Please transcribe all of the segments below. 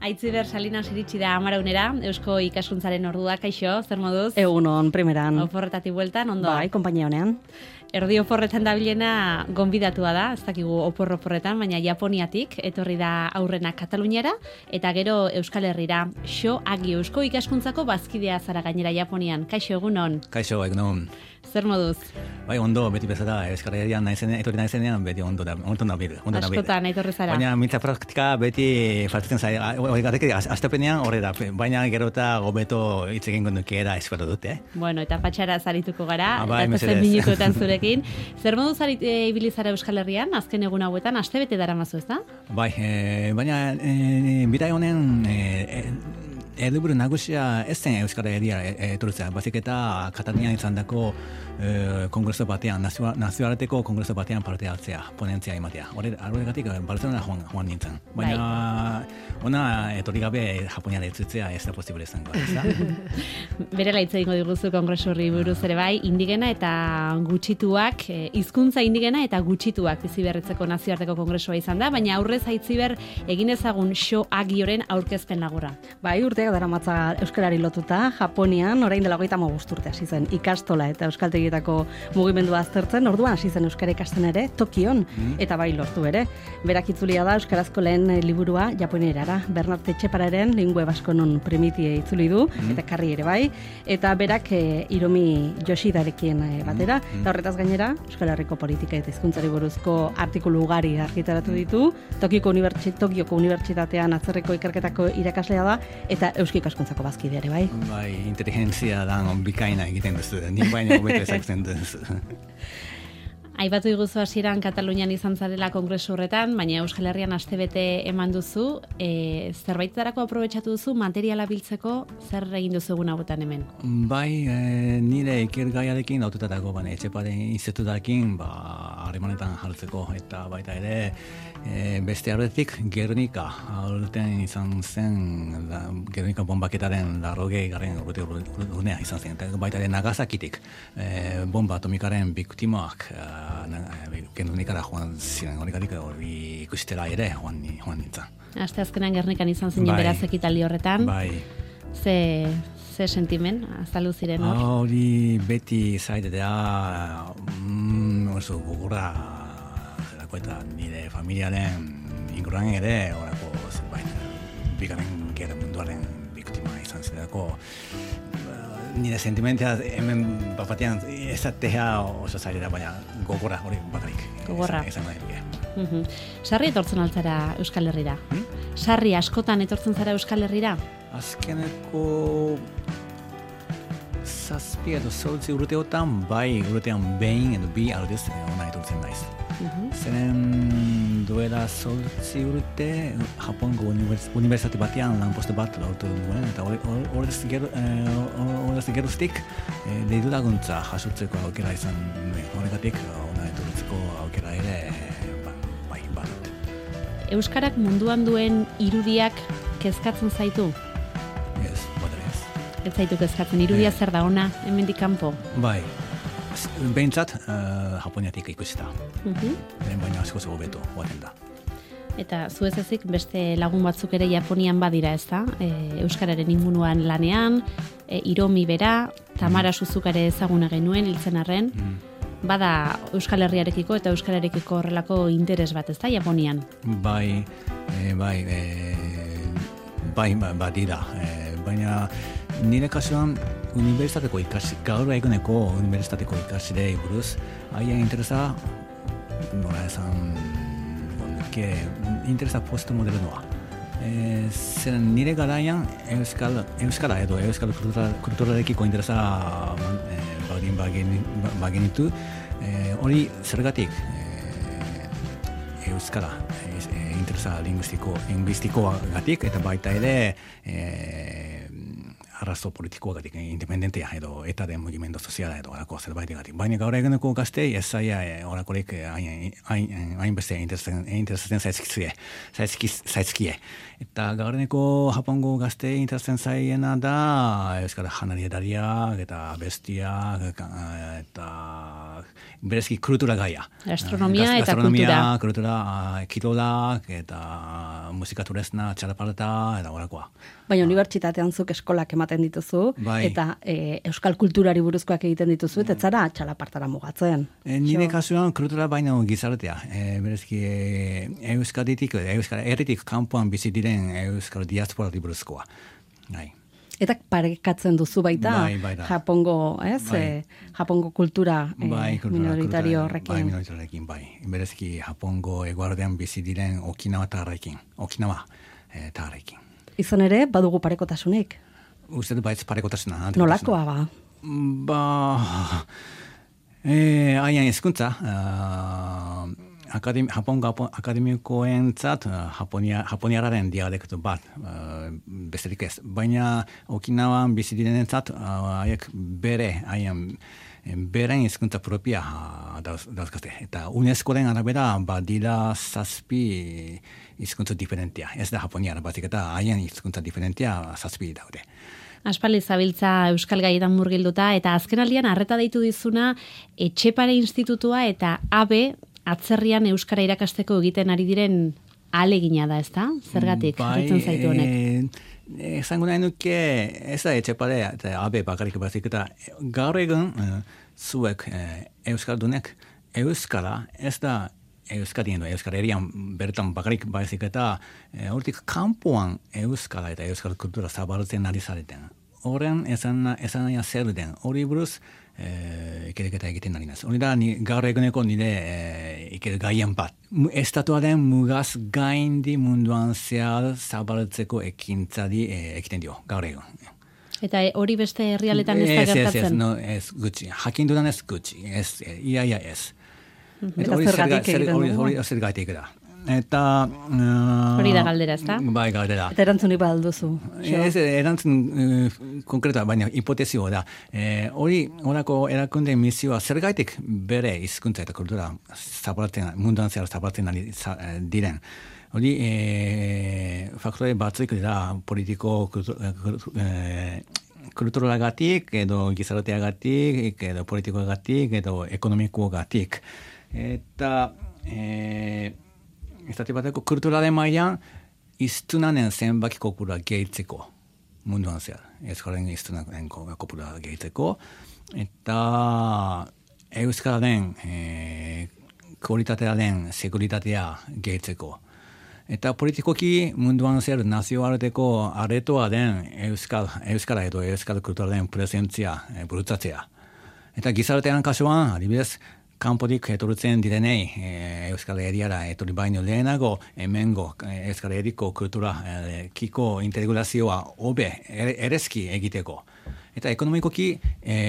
Aitziber Salinas iritsi da Amaraunera, Eusko ikaskuntzaren ordua, kaixo, zer moduz? Egunon, primeran. Oporretatik bueltan, ondo? Bai, konpainia honean. Erdi oporretan dabilena gonbidatua da, ez dakigu oporretan, baina Japoniatik, etorri da aurrena Kataluniara, eta gero Euskal Herrira, Sho Agi Eusko ikaskuntzako bazkidea zara gainera Japonian. Kaixo, egunon? Kaixo, egunon. Zer moduz? Bai, ondo, beti bezala, Euskal Herrian etorri naizenean, beti ondo nabil. Askotan, etorri zara. Baina mintza praktika beti faltatzen zai, horregatik, astapenean horre da, baina gero eta gobeto hitz egin gondukiera espero dute. Bueno, eta patxara zarituko gara, bai, eta zen minutuetan zurekin. Zer modu ibili zara Euskal Herrian, azken egun hauetan, astebete daramazu, ez da? Bai, baina bidai honen helburu nagusia ez zen Euskal Herria etortzea, bazik eta Katalunian izandako kongreso batean, nazioarteko kongreso batean parte hartzea, ponentzia ematea. Horregatik Barcelona joan nintzen. Baina ona etorri gabe Japonian etzitzea ez da posible izango, ez da? Berela hitz egingo diguzu kongreso horri buruz ere bai, indigena eta gutxituak, hizkuntza indigena eta gutxituak bizi berritzeko nazioarteko kongresoa izan da, baina aurrez Aitziber egin ezagun Sho Agioren aurkezpen laburra. Bai, urteak daramatza euskarari lotuta, Japonian orain dela 35 urte hasi zen ikastola eta euskaltegietako mugimendua aztertzen, orduan hasi zen euskara ikasten ere Tokion, eta bai lortu ere. Berak itzulia da euskarazko lehen liburua Japonierara, Bernard Etxepararen Lingue Baskonon Primitie itzuli du, eta karri ere bai, eta berak Hiromi Yoshidarekin batera, eta horretaz gainera, Euskal Herriko politika eta hizkuntzari buruzko artikulu ugari argitaratu ditu, Tokioko Unibertsitatean atzerriko ikerketako irakaslea da, eta euski ikaskuntzako bazkide ere bai. Bai, inteligentzia da bikaina egiten duzu, ni baina hobeto ezagutzen duzu. Aipatu diguzu hasieran Katalunian izan zarela kongresu horretan, baina Euskal Herrian astebete eman duzu, zerbaitetarako aprobetxatu duzu materiala biltzeko, zer egin duzu egun hauetan hemen? Bai, nire ikergaiarekin autotatako, Etxeparen institutarekin harremanetan jartzeko, eta baita ere beste arretik Gernika, aurten izan zen Gernika bombaketaren 80. urtea izan zen, eta baita ere Nagasakitik bomba atomikaren biktimak Gernikara joan ziren, horregatik hori ikustela ere joan nintzen. Aste azkenan Gernikan izan zinen beraz ekitaldi horretan. Bai. Ze sentimen, azaldu ziren hor? Hori beti zaitea oso gogorra zelako eta nire familiaren inguruan ere horako bigarren gerra munduaren biktima izan zelako. Nire sentimentea hemen batean ezatea oso zailera, baina gogorra hori bakarik. Gogorra. Ezan nahi. Sarri etortzen altzara Euskal Herrira? Sarri askotan etortzen zara Euskal Herrira? Azkeneko 7 edo 8 urteotan, bai urtean behin edo bi aldiz ona etortzen naiz. Zeren duela 8 urte Japongo unibertsitate batean lanpostu bat lortu duen, eta horrez geruztik deitu laguntza jasotzeko aukera izan nuen. Horregatik ona etortzeko aukera ere bai bat. Euskarak munduan duen irudiak kezkatzen zaitu? Ez, ez. Ez zaitu kezkatzen, irudia zer da ona, hemendik kanpo? Bai. Behintzat, Japoniatik ikusita. Baina asko hobeto joaten da. Eta zu ez ezik beste lagun batzuk ere Japonian badira, ez da? Euskararen inguruan lanean, Hiromi bera, Tamara Suzukare ezaguna genuen, hiltzen arren. Bada Euskal Herriarekiko eta Euskararekiko horrelako interes bat, ez da, Japonian? Bai, badira. Baina nire kasuan gaur eguneko unibertsitateko ikasile buruz, haien interesa, nola esan, interesa postmodernoa. Zeren nire garaian euskara edo euskal kulturarekiko interesa bagenitu, hori zergatik euskara interesa linguistikoagatik eta baita ere arrazo politikoagatik, independentea edo etaren mugimendu soziala edo horako zerbaitegatik. Baina gaur eguneko gaztei ez zaila horakorik hainbeste interesatzen zaizkie. Eta gaur eguneko Japongo gaztei interesatzen zaiena da euskara janarietariak eta bestiak eta berezki kultura gaia. Gastronomia eta kultura, kirolak eta musika turesna, txalaparta eta horakoa. Baina unibertsitatean zuk eskolak ematen dituzu, eta euskal kulturari buruzkoak egiten dituzu, eta zara txalapartara mugatzen. Nire kasuan kultura baino gizartea. Berezki euskaditik, herritik kanpoan bizi diren euskal diasporari buruzkoa. Eta parekatzen duzu baita, Japongo, Japongo kultura minoritario horrekin. Minoritariorekin, Berezki Japongo eguardean bizi diren Okinawa tarrekin. Izan ere, badugu parekotasunik? Uste du baitz parekotasuna. Nolakoa ba? Haien hezkuntza, Japongo akademikoentzat japoniararen dialektu bat, besterik ez. Baina Okinawan bizi direnentzat haiek beren hizkuntza propia dauzkate. Eta UNESCOren arabera badira 7 hizkuntza diferentia. Ez da japoniara batik eta haien hizkuntza diferentia 7 daude. Aspaldi zabiltza euskal gaietan murgilduta eta azkenaldian harreta deitu dizuna Etxepare Institutua eta AB atzerrian euskara irakasteko egiten ari diren ahalegina da, ezta? Zergatik jarritzen zaitu honek? Esango nahi nuke, ez da Etxepare eta AB bakarrik bazik eta gaur egun zuek euskaldunek euskara ez da Euskadien Euskal Herrian bertan bakarrik baizik eta hortik kanpoan euskara eta euskal kultura zabaltzen ari zareten. Horren esan zer den, hori buruz ikerketa egiten ari naz. Hori da gaur eguneko nire iker gaien bat. Estatuaren mugaz gaindi munduan zehar zabaltzeko ekintzadi egiten dio, gaur egun. Eta hori beste herrialetan ez da gertatzen? Ez gutxi. Jakin dudan ez gutxi. Iaia ez. Eta zergatik da. Eta hori da galdera, ezta? Bai, galdera. Eta erantzunik balduzu. Ez erantzun konkreta, baina hipotezio da. Horako erakunde misioa zergatik bere hizkuntza eta kultura munduan zehar zabaltzen diren. Hori faktore batzuk dira politiko kulturagatik, edo gizarteagatik, edo politikoagatik, edo ekonomikoagatik. Eta estate bateko kulturaren mailan iztunanen zenbaki kopura gehitzeko munduan zehar. Euskaren iztunanen kopura gehitzeko. Eta euskararen kualitatearen seguritatea gehitzeko. Eta politikoki munduan zer nazioarteko aretoa den euskara edo euskal kulturaren presentzia burutzatzea. Eta gizartean kasuan, adibidez, kanpotik etortzen direnei Euskal Herriara etorri baino lehenago hemengo Euskal Herriko kultura kiko integrazioa hobe erezki egiteko. Eta ekonomikoki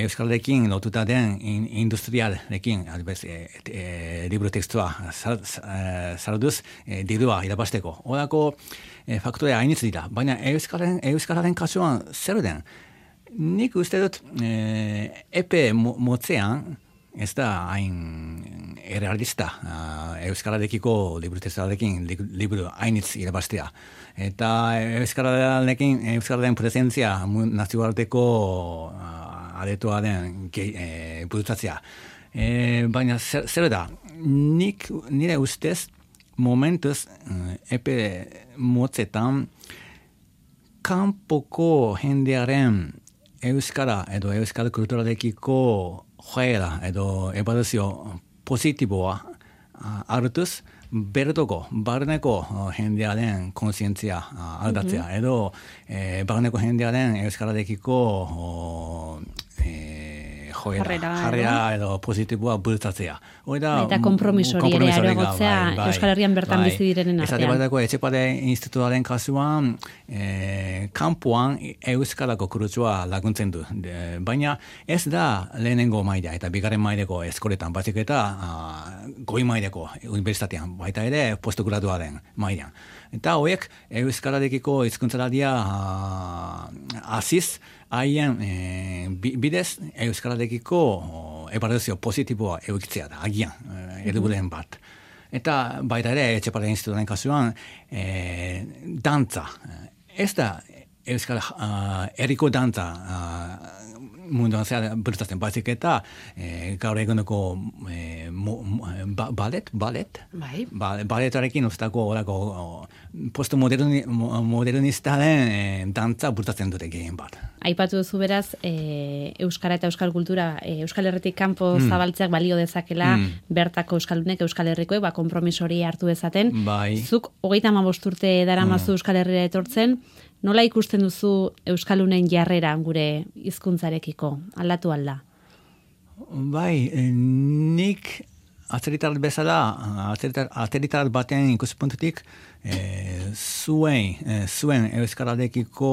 Euskalekin lotuta den industrialekin, liburu tekstua salduz dirua irabasteko. Horako faktore hainitz dira, baina Euskalaren kasuan zer den? Nik uste dut epe motzean, ez da hain errealista euskararekiko liburutezarekin liburu hainitz irabaztea. Eta euskararen presentzia nazioarteko aretoa den burutzatzea. Baina zer da, nire ustez momentuz epe motzetan kanpoko jendearen euskara edo euskal kulturarekiko joera edo ebaluzio positiboa hartuz, bertoko, barneko jendearen konsientzia aldatzea, edo barneko jendearen euskararekiko jarrera edo positiboa bultzatzea. Eta kompromisori ere areagotzea Euskal Herrian bertan bizi direnen artean. Esate bateko Etxepare Institutuaren kasuan kanpoan euskarako kurtsua laguntzen du. Baina ez da lehenengo maila eta bigarren maileko eskoletan, bazik eta goi maileko unibertsitatean, baita ere postgraduaren mailan. Eta horiek euskararekiko hizkuntzalaria hasiz haien bidez euskararekiko ebaluzio positiboa eukitzea da, agian, eduburen bat. Eta baita ere, Etxepare Institutuaren kasuan, dantza. Ez da euskal herriko dantza munduan zehar bultzatzen baizik eta gaur eguneko baletarekin usteko horako postmodernistaren dantza bultzatzen dute gehien bat. Aipatu duzu beraz, euskara eta euskal kultura, Euskal Herritik kanpo zabaltzeak balio dezakela, bertako euskaldunek, Euskal Herrikoek, konpromiso hori hartu dezaten. Bai. Zuk 35 urte daramazu Euskal Herrira etortzen, nola ikusten duzu euskaldunen jarrera gure hizkuntzarekiko? Aldatu alda? Bai, nik atzeritar bezala, atzeritar baten ikuspuntutik, zuen euskararekiko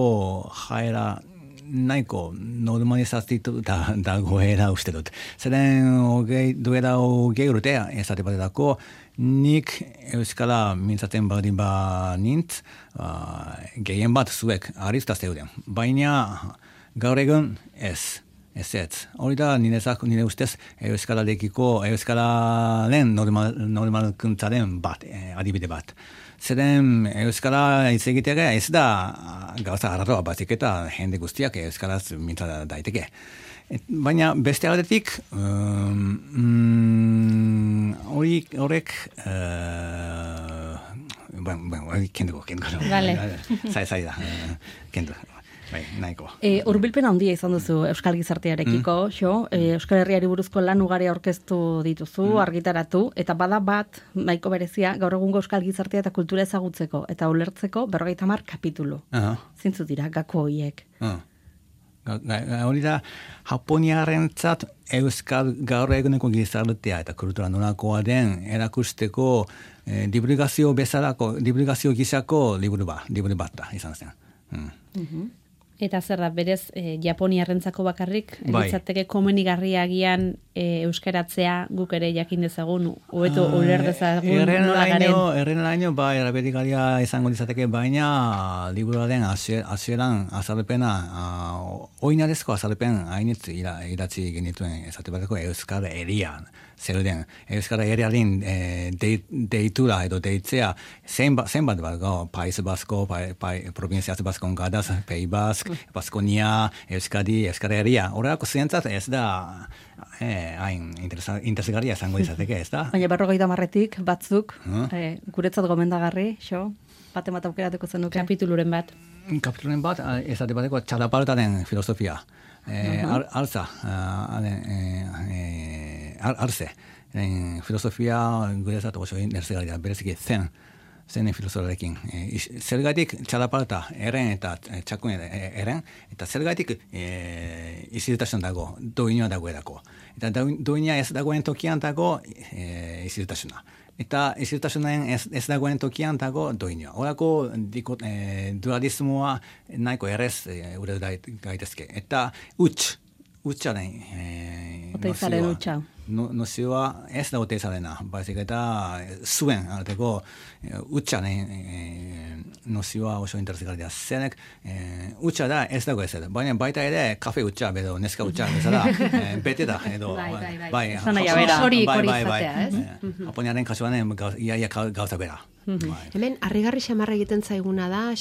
jaera nahiko normalizazioa dagoela uste dut. Zeren duela hogei urtea ezate batetako, nik euskara mintzaten baldin nintz, gehien bat zuek arista zeuden. Baina gaur egun ez. Hori da nire ustez euskararen normalkuntzaren bat, adibide bat. Zeren euskara hitz egitea ez da gauza arraroa batik eta jende guztiak euskaraz mintza daiteke. Baina beste aldetik horrek kenduko. Vale. Zai da, kendu. Bai, nahiko. Hurbilpen handia izan duzu euskal gizartearekiko, Euskal Herriari buruzko lan ugari aurkeztu dituzu, argitaratu, eta bada bat, nahiko berezia, gaur egungo euskal gizartea eta kultura ezagutzeko, eta ulertzeko 50 kapitulu. Zintzu dira, gako horiek. Hori da, Japoniarentzat euskal gaur eguneko gizartea eta kultura nolakoa den erakusteko divulgazio gisako liburu bat da, izan zen. Eta zer da, berez, Japoniarrentzako bakarrik, litzateke komenigarria agian euskaratzea guk ere jakin dezagun, hobeto uler dezagun nola garen. Erreneraino, eraberigaria izango litzateke, baina liburuaren hasieran azalpena, oinarezko azalpen hainitz idatzi genituen ezate bateko euskal erian. Zeuden, euskara eriaren deitura edo deitzea zenbat bat, Paiz Basko, Provinciaz Baskon Gadaz, Pei Bask, Baskonia, Euskadi, Euskara eria. Horrelako zientzat ez da hain interesgarria izango izateke, ez da? Baina 50 batzuk, guretzat gomendagarri, baten bat aukeratuko zenuke. Kapituluren bat, ezate bateko txalapartaren filosofia. Arze, filosofia guretzat oso interesgarria, bereziki zen filosofiarekin. Zergatik txalaparta eren eta txakun eren, eta zergatik izirtasun dago, doinua dagoelako. Eta doina ez dagoen tokian dago izirtasuna. Eta izirtasunen ez dagoen tokian dago doinua. Horako dualismoa nahiko errez ure gaitezke. Eta utxaren nozioa ez da oteizarena, baizik eta zuen arteko utxaren nozioa oso interesgarria. Zenek utxa da ez dago ez da, baina baita ere kafe utxa, edo neska utxa, bezala, bete da, edo hori izatea, ez? Japoniaren kasuan iaia gauza bera. Hemen, harrigarri xamarra egiten zaiguna da,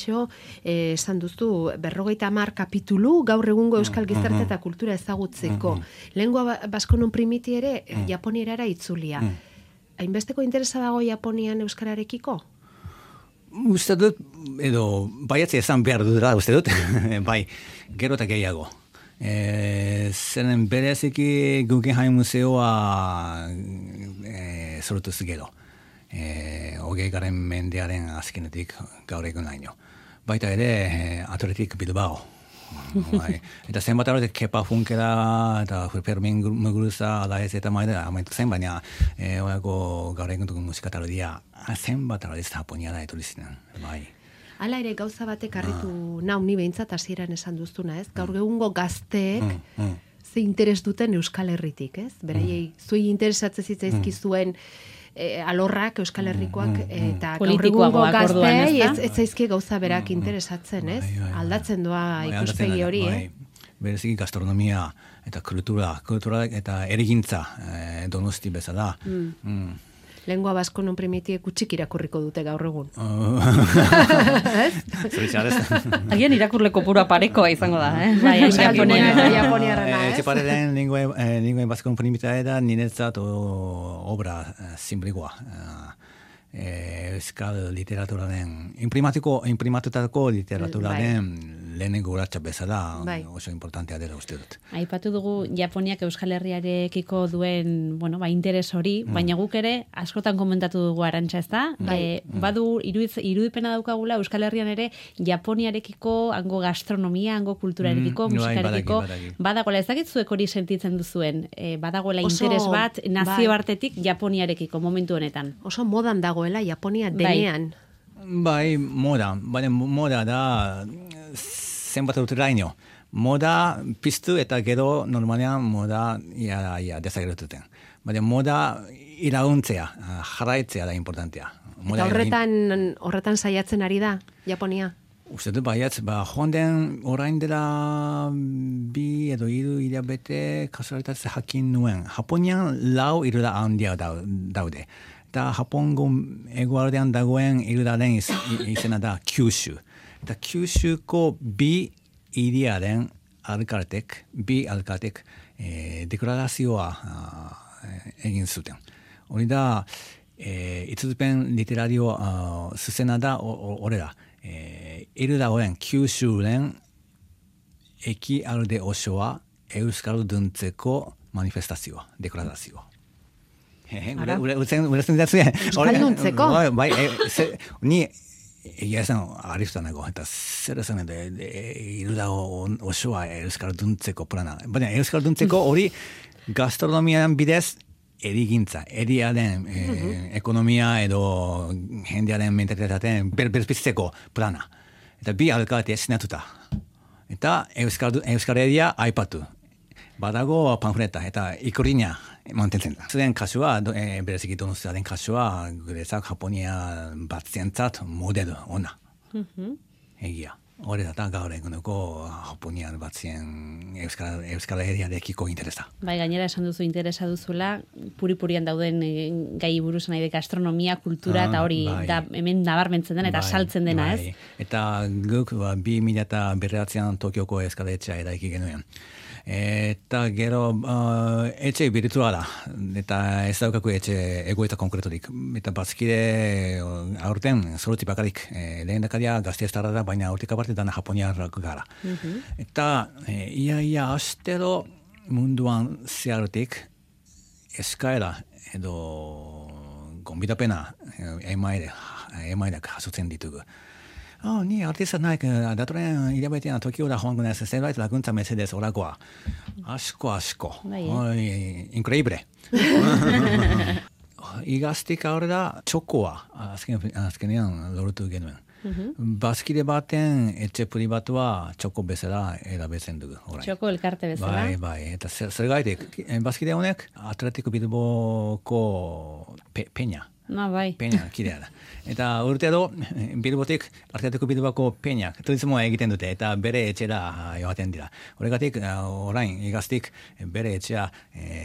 esan duzu, 50 kapitulu gaur egungo euskal gizarte eta kultura ezagutzeko. Lehengoa baskonon primiti ere, Japonierara itzulia. Hainbesteko interesa dago Japonian euskararekiko? Uste dut, edo, baiatze esan behar dudera, uste dut, bai, gero eta gehiago. Zeren bereziki Guggenheim Museoa sortuz gero. 20. mendearen azkenetik gaur egun laino. Baita ere, Athletic Bilbao. Eta zenbat arrotek Kepa Funkera eta Fermin Muguruza ala ez eta maida amaitu zen, baina horako gaur egun dugun musikataldia zenbat arrotek Japoniara eturizinen. Hala ere gauza batek harritu nau ni behintzat hasieran esan duztuna, ez? Gaur egungo gazteek ze interes duten Euskal Herritik, ez? Beraiei zuei interesatzen zitzaizkizuen alorrak, Euskal Herrikoak, eta gaur egungo gazteei ez zaizkie gauza berak interesatzen, ez? Aldatzen doa ikuspegi hori, Bereziki gastronomia eta kultura eta erigintza Donosti bezala. Lengua basko non primitiek utxik irakurriko dute gaur egun. Agian irakurle kopurua parekoa izango da, Bai, Japoniarrena, ez? Etxeparen lingua baskon primitae da niretzat obra sinplikoa. Euskal literaturaren, imprimatutako literaturaren lehenengo urratsa bezala oso importantea dela uste dut. Aipatu dugu Japoniak Euskal Herriarekiko duen, interes hori, baina guk ere askotan komentatu dugu Arantxa, ezta? Badu irudipena daukagula Euskal Herrian ere Japoniarekiko, hango gastronomia, hango kulturarekiko, musikarekiko, badagoela, ez dakit zuek hori sentitzen duzuen, badagoela interes bat nazioartetik Japoniarekiko momentu honetan. Oso modan dagoela Japonia denean. Bai, moda da zenbat urteraino. Moda piztu eta gero normalean moda desagertuten. Baina moda irauntzea, jarraitzea da importantea. Eta horretan saiatzen ari da Japonia? Uste dut baiatz, joan den orain dela 2 edo 3 hilabete kasualitatze jakin nuen. Japonian 4 irura handia daude. Eta Japongo egualdean dagoen irudaren izena da Kyushu. Eta Kyushuko 2 hiriaren alkatek deklarazioa egin zuten. Hori da, itzulpen literario zuzena da horrela. Irudagoen Kyushuren ekialde osoa euskalduntzeko manifestazioa, deklarazioa. Urezen didatzue. Euskalduntzeko? Bai, ni egia esan ariftuanago, eta zer esan irudago osoa euskalduntzeko plana. Baina euskalduntzeko hori gastronomian bidez erigintza, eriaren ekonomia edo jendearen mentalitateen berpizteko plana. Eta 2 alkate sinatuta. Eta euskareria aipatu. Badago pamfleta eta ikurriña mantentzen da. Zuen kasua, bereziki Donostiaren kasua, guretzak Japonia batzientzat modelo ona. Egia. Hore da gaur eguneko Japonian batzien Euskal Herriarekiko interesa. Bai, gainera esan duzu interesa duzula, puri-purian dauden gai buruz nahi de gastronomia, kultura, eta hori da hemen nabarmentzen dena eta saltzen dena, ez? Eta guk 2009an Tokioko eskaletxea eraiki genuen. Eta gero etxe virtuala, eta ez daukaku etxe egoeta konkretorik. Eta bazkide aurten zorotzi bakarik lehen dakaria gazteaztarra da, baina aurtik aparte dana japoniarrak gara. Eta ia astero munduan zeharutik eskaera edo gonbidapena emairak jasotzen ditugu. Ni artista naik datoren hilabetean Tokiora joango naiz zerbait laguntza mesedez orakoa. Asko. Increíble. Igaztik aurrera txokoa azkenean lortu genuen. Bazkide baten etxe pribatua txoko bezala erabiltzen dugu. Txoko elkarte bezala? Bai. Eta zer gaitik, bazkide honek Atletico Bilboko peña. Bai. Peña, kidea da. Eta urtero, Bilbotik Atletico Bilboko peña, turismoa egiten dute, eta bere etxera joaten dira. Horregatik, orain, igaztik, bere etxea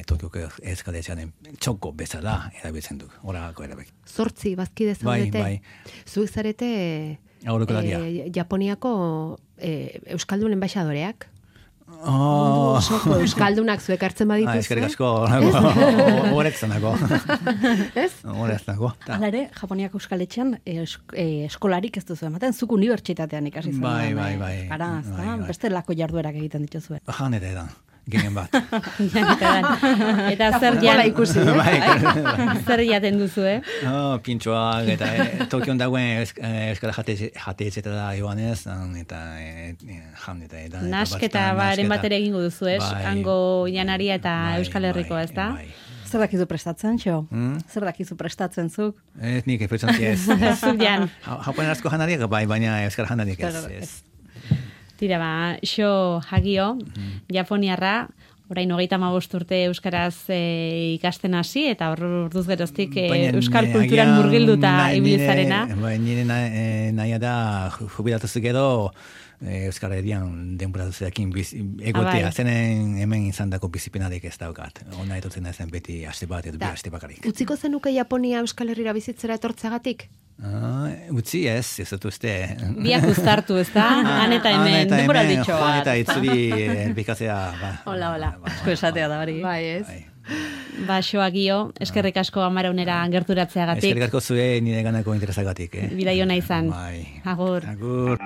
Tokioko eskaletxearen txoko bezala erabiltzen dugu. Horako erabek. 8 bazkide zaudete. Bai. Zuek zarete Japoniako Euskaldunen enbaixadoreak. Mundu osoko euskaldunak zuek hartzen badituzue. Eskerrik asko, horretzanako. Ez? Horretzanako. Hala ere, Japoniako euskaletxean eskolarik ez duzu ematen, zuk unibertsitatean ikasi zen. Bai. Gara, beste lako jarduerak egiten dituzue. Janere da. Gehen bat. Eta zer ikusi, zer jaten duzu, Pintxoak, eta Tokion dagoen euskara jateetxetara joanez, eta jan, eta... Nasketa baren batera egingo duzu, hango janaria eta Euskal Herriko, ez da? Zer dakizu prestatzen, xo? Zer dakizu prestatzen zuk? Ez nik, ez. Zuk jan. Japonerazko janariak bai, baina euskara janariak ez. Tira xo Hagio, Japoniarra, orain 35 urte euskaraz ikasten hasi, eta orduz geroztik euskal kulturan murgilduta ibiltzarena. Nire naia da jubilatuz gero Euskal Herrian denbora duzeakin egotea, zenen hemen izandako bizipenarik ez daukat. Ona etortzen ezen beti aste bat edo bi aste bakarik. Utziko zenuke Japonia Euskal Herrira bizitzera etortzagatik? Utzi ez dut uste. Biak uztartu, ez da? Han eta hemen, denbora ditxo bat. Joan eta itzuri bikatzea. Hola. Asko esatea da hori. Bai, ez? Gio, eskerrik asko Amaraunera gerturatzeagatik. Eskerrik asko zure nire ganako interesagatik. Bidai ona izan. Bai. Agur. Agur.